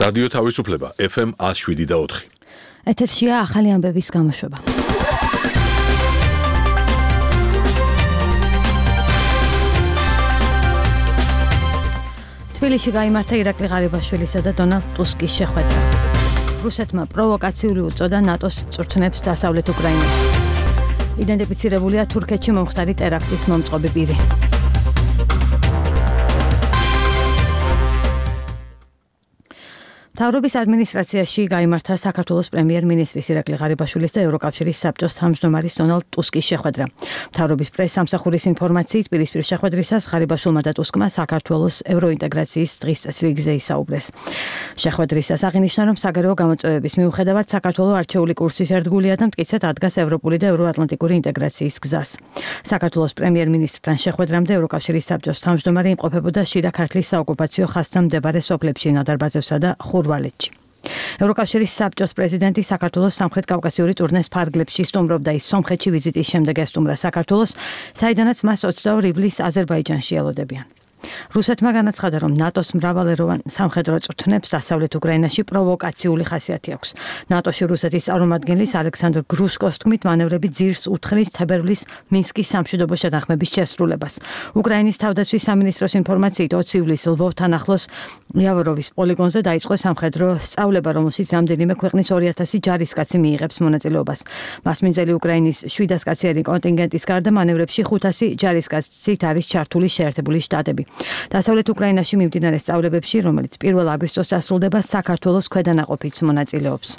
რადიო თავისუფლება FM 107.4. ეთერშია ახალი ამბების გამოშვება. თბილისში გაიმართა ირაკლი ღარიბაშვილისა და დონალდ ტუსკის შეხვედრა. რუსეთმა პროვოკაციული უწოდა ნატოს წვრთნებს დასავლეთ უკრაინაში. იდენტიფიცირებულია თურქეთში მომხდარი ტერაქტის მომწყობი პირი. მთავრობის ადმინისტრაციაში გაიმართა საქართველოს პრემიერ-მინისტრის ირაკლი ღარიბაშვილის და ევროკავშირის საბჭოს თავმჯდომარის დონალდ ტუსკის შეხვედრა. მთავრობის პრეს-სამსახურის ინფორმაციით, პირისპირ შეხვედრისას ღარიბაშვილმა და ტუსკმა საქართველოს ევროინტეგრაციის დღის წესრიგზე ისაუბრეს. შეხვედრისას აღინიშნა, რომ საგარეო გამოწვევების მიუხედავად საქართველოს არჩეული კურსის ერთგულია და მტკიცედ ადგას ევროპული და ევროატლანტიკური ინტეგრაციის გზას. საქართველოს პრემიერ-მინისტრთან შეხვედრამდე ევროკავშირის საბჭოს თავმჯდომარე იმყოფებოდა შიდა ქართლის საოკუპაციო ხაზთან მდებარე სოფლებში ნადარბაზევსა და ხურვალეთში. ევროკავშირის საბჭოს პრეზიდენტი საქართველოს სამხრეთ კავკასიური ტურნეს ფარგლებში სტუმრობდა. ის სომხეთში ვიზიტის შემდეგ ესტუმრა საქართველოს, საიდანაც მას 22 ივლისს აზერბაიჯანში ელოდებიან. რუსეთმა განაცხადა, რომ ნატოს მრავალეროვან სამხედრო წვრთნებს დასავლეთ უკრაინაში პროვოკაციული ხასიათი აქვს. ნატოში რუსეთის წარმომადგენლის ალექსანდრ გრუშკოს თქმით, მანევრები ძირს უთხრის თებერვლის მინსკის სამშვიდობო შეთანხმების შესრულებას. უკრაინის თავდაცვის სამინისტროს ინფორმაციით 20 ივლისს ლვოვთან ახლოს იავოროვის პოლიგონზე დაიწყო სამხედრო სწავლება, რომელშიც რამდენიმე ქვეყნის 2000 ჯარისკაცი მიიღებს მონაწილეობას. მასმინძელი უკრაინის 700 კაციანი კონტინგენტის გარდა მანევრებში 500 ჯარისკაცით არის ჩართული შეერთებული შტატები. დასავლეთ უკრაინაში მიმდინარე სწავლებებში, რომელიც 1 აგვისტოს დასრულდება, საქართველოს ქვედანაყოფიც მონაწილეობს.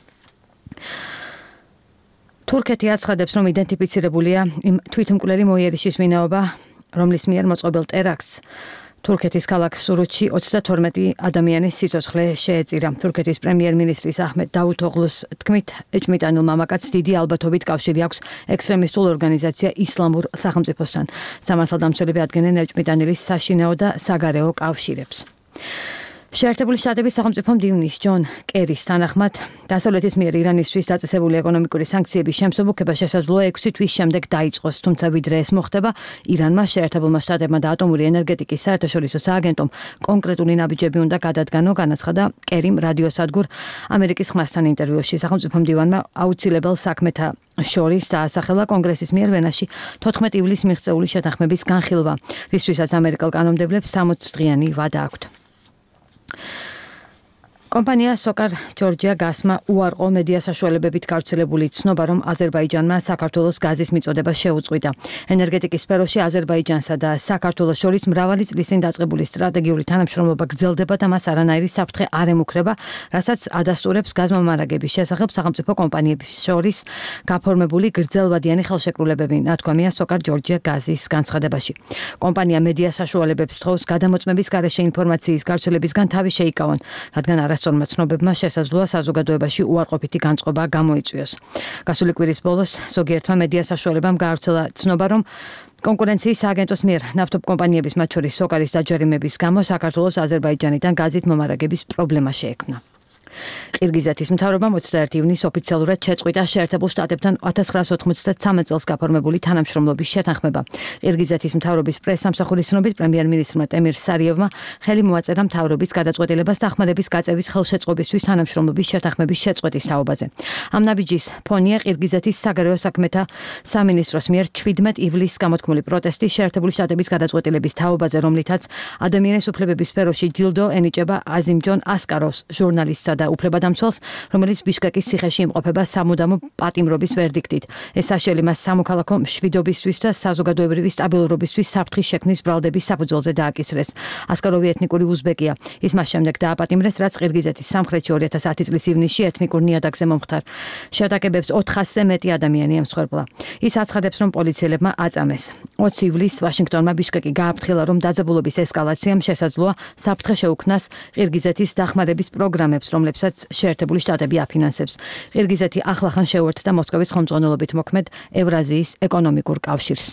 თურქეთი აცხადებს, რომ იდენტიფიცირებულია იმ თვითმკვლელი მოიერიშის ვინაობა, რომლის მიერ მოწყობილ ტერაქტს თურქეთის ქალაქ სურუთში 32 ადამიანის სიცოცხლე შეეწირა. თურქეთის პრემიერ-მინისტრის აჰმედ დავუთოღლუს თქმით, ეჭმიტანილ მამაკაცს დიდი ალბათობით კავშირი აქვს ექსტრემისტულ ორგანიზაცია ისლამურ სახელმწიფოსთან. სამართალდამცველები ადგენენ ეჭმიტანილის საშინაო და საგარეო კავშირებს. შეერთებული შტატების სახელმწიფო მდივნის ჯონ კერის თანახმად, დასავლეთის მიერ ირანისთვის დაწესებული ეკონომიკური სანქციების შემსუბუქება შესაძლოა 6 თვის შემდეგ დაიწყოს, თუმცა ვიდრე ეს მოხდება, ირანმა, შეერთებულმა შტატებმა და ატომური ენერგეტიკის საერთაშორისო სააგენტომ კონკრეტული ნაბიჯები უნდა გადადგანო, განაცხადა კერიმ რადიოსადგურ ამერიკის ხმასთან ინტერვიუში. სახელმწიფო მდივანმა აუცილებელ საქმეთა შორის დაასახელა კონგრესის მიერ ვენაში 14 ივლისს მიღწეული შეთანხმების განხილვა, რისთვისაც ამერიკელ კანონმდებლებს 60 დღიანი ვადა აქვთ. კომპანია სოკარ ჯორჯია გასმა უარყო მედია საშუალებებით გავრცელებული ცნობა, რომ აზერბაიჯანმა საქართველოს გაზის მიწოდება შეუწყვიტა. ენერგეტიკის სფეროში აზერბაიჯანსა და საქართველოს შორის მრავალი წლის წინ დაწყებული სტრატეგიული თანამშრომლობა გრძელდება და მას არანაირი საფრთხე არ ემუქრება, რასაც ადასტურებს გაზმომარაგების შესახებ სახელმწიფო კომპანიების შორის გაფორმებული გრძელვადიანი ხელშეკრულებები, ნათქვამია სოკარ ჯორჯია გაზის განცხადებაში. კომპანია მედია საშუალებებს თხოვს გადამოწმების გარეშე ინფორმაციის გავრცელებისგან თავი შეიკავონ, რადგან არასწორმა ცნობებმა შესაძლოა საზოგადოებაში უარყოფითი განწყობა გამოიწვიოს. გასული კვირის ბოლოს ზოგიერთმა მედია საშუალებამ გაავრცელა ცნობა, რომ კონკურენციის სააგენტოს მიერ ნავთობ კომპანიების, მათ შორის სოკარის დაჯერიმების გამო საქართველოს აზერბაიჯანიდან გაზით მომარაგების პრობლემა შეექმნა. ყირგიზეთის მთავრობამ 21 ივნისს ოფიციალურად შეწყვიტა შეერთებულ შტატებთან 1993 წელს გაფორმებული თანამშრომლობის შეთანხმება. ყირგიზეთის მთავრობის პრეს-სამსახურის ცნობით, პრემიერ-მინისტრმა ტემირ სარიევმა ხელი მოაწერა მთავრობის გადაწყვეტილებას დახმარების გაწევის ხელშეწყობისთვის თანამშრომლობის შეთანხმების შეწყვეტის თაობაზე. ამ ნაბიჯის ფონია ყირგიზეთის საგარეო საქმეთა სამინისტროს მიერ 17 ივლისს გამოთქმული პროტესტი შეერთებული შტატების გადაწყვეტილების თაობაზე, რომლითაც ადამიანის უფლებების სფეროში ჯილდო ენიჭება აზიმჯონ ასკაროვს, ჟურნალისტსა და უფლებადამცველს, რომელიც ბიშკეკის ციხეში იმყოფება სამუდამო პატიმრობის ვერდიქტით. ეს საშელი მას სამოქალაქო მშვიდობისთვის და საზოგადოებრივი სტაბილურობისთვის საფრთხის შექმნის ბრალდების საფუძველზე დააკისრეს. ასკაროვი ეთნიკური უზბეკია. ის მას შემდეგ დააპატიმრეს, რაც ყირგიზეთის სამხრეთში 2010 წლის ივნისში ეთნიკურ ნიადაგზე მომხდარ შეტაკებებს 400-ზე მეტი ადამიანი ემსხვერპლა. ის აცხადებს, რომ პოლიციელებმა აწამეს. 20 ივლისს ვაშინგტონმა ბიშკეკი გააფრთხილა, რომ დაძაბულობის ესკალაციამ შესაძლოა საფრთხე შეუქმნას ყირგიზეთის დახმარების პროგრამებს, რომლებსაც შეერთებული შტატები აფინანსებს. ყირგიზეთი ახლახან შეუერთდა მოსკოვის ხელმძღვანელობით მოქმედ ევრაზიის ეკონომიკურ კავშირს.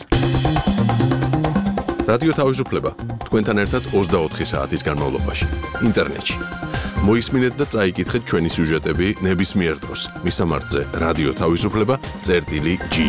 რადიო თავისუფლება თქვენთან ერთად 24 საათის განმავლობაში ინტერნეტში. მოისმინეთ და წაიკითხეთ ჩვენი სიუჟეტები ნებისმიერ დროს. მისამართზე რადიო თავისუფლება.ge